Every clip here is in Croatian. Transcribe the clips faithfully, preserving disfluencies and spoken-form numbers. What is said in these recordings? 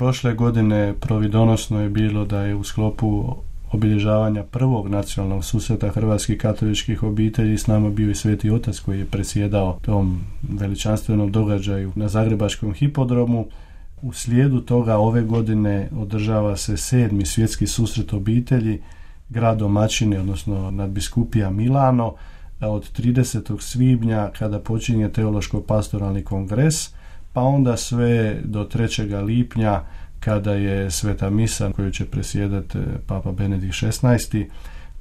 Prošle godine providonosno je bilo da je u sklopu obilježavanja prvog nacionalnog susreta hrvatskih katoličkih obitelji s nama bio i Sveti Otac koji je predsjedao tom veličanstvenom događaju na Zagrebačkom hipodromu. U slijedu toga ove godine održava se sedmi svjetski susret obitelji grad domaćine, odnosno nadbiskupija Milano, od tridesetog svibnja kada počinje teološko-pastoralni kongres, pa onda sve do trećeg lipnja kada je sveta misa koju će presjedati Papa Benedikt šesnaesti.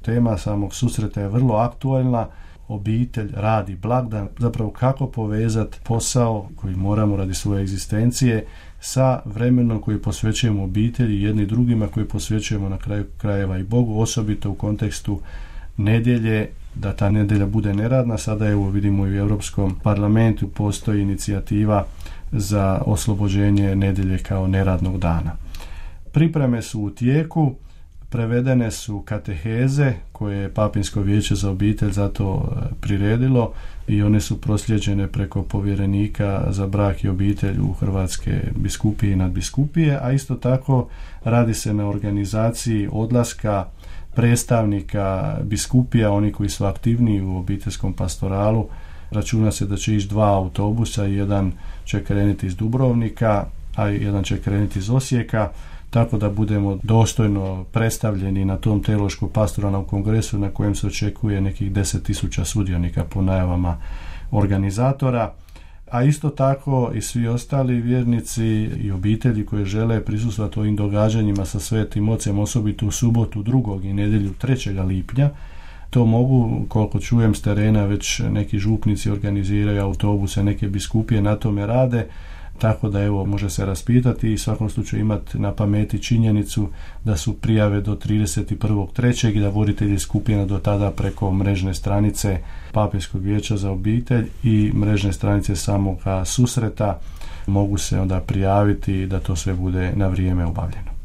Tema samog susreta je vrlo aktualna. Obitelj, rad i blagdan, zapravo kako povezati posao koji moramo radi svoje egzistencije sa vremenom koji posvećujemo obitelji jedni drugima, koji posvećujemo na kraju krajeva i Bogu, osobito u kontekstu nedjelje, da ta nedjelja bude neradna. Sada evo vidimo i u Europskom parlamentu postoji inicijativa za oslobođenje nedjelje kao neradnog dana. Pripreme su u tijeku, prevedene su kateheze koje je Papinsko vijeće za obitelj zato priredilo i one su proslijeđene preko povjerenika za brak i obitelj u Hrvatske biskupije i nadbiskupije, a isto tako radi se na organizaciji odlaska predstavnika biskupija, oni koji su aktivniji u obiteljskom pastoralu. Računa se da će ići dva autobusa, jedan će krenuti iz Dubrovnika, a jedan će krenuti iz Osijeka, tako da budemo dostojno predstavljeni na tom teološko-pastoralnom kongresu na kojem se očekuje nekih deset tisuća sudionika po najavama organizatora, a isto tako i svi ostali vjernici i obitelji koji žele prisustvovati ovim događanjima sa Svetim Ocem, osobito u subotu drugog i nedjelju trećeg lipnja. To mogu, koliko čujem s terena, već neki župnici organiziraju autobuse, neke biskupije na tome rade, tako da evo može se raspitati i u svakom slučaju imati na pameti činjenicu da su prijave do trideset prvog trećeg i da voditelji skupina do tada preko mrežne stranice Papinskog vijeća za obitelj i mrežne stranice samog susreta mogu se onda prijaviti da to sve bude na vrijeme obavljeno.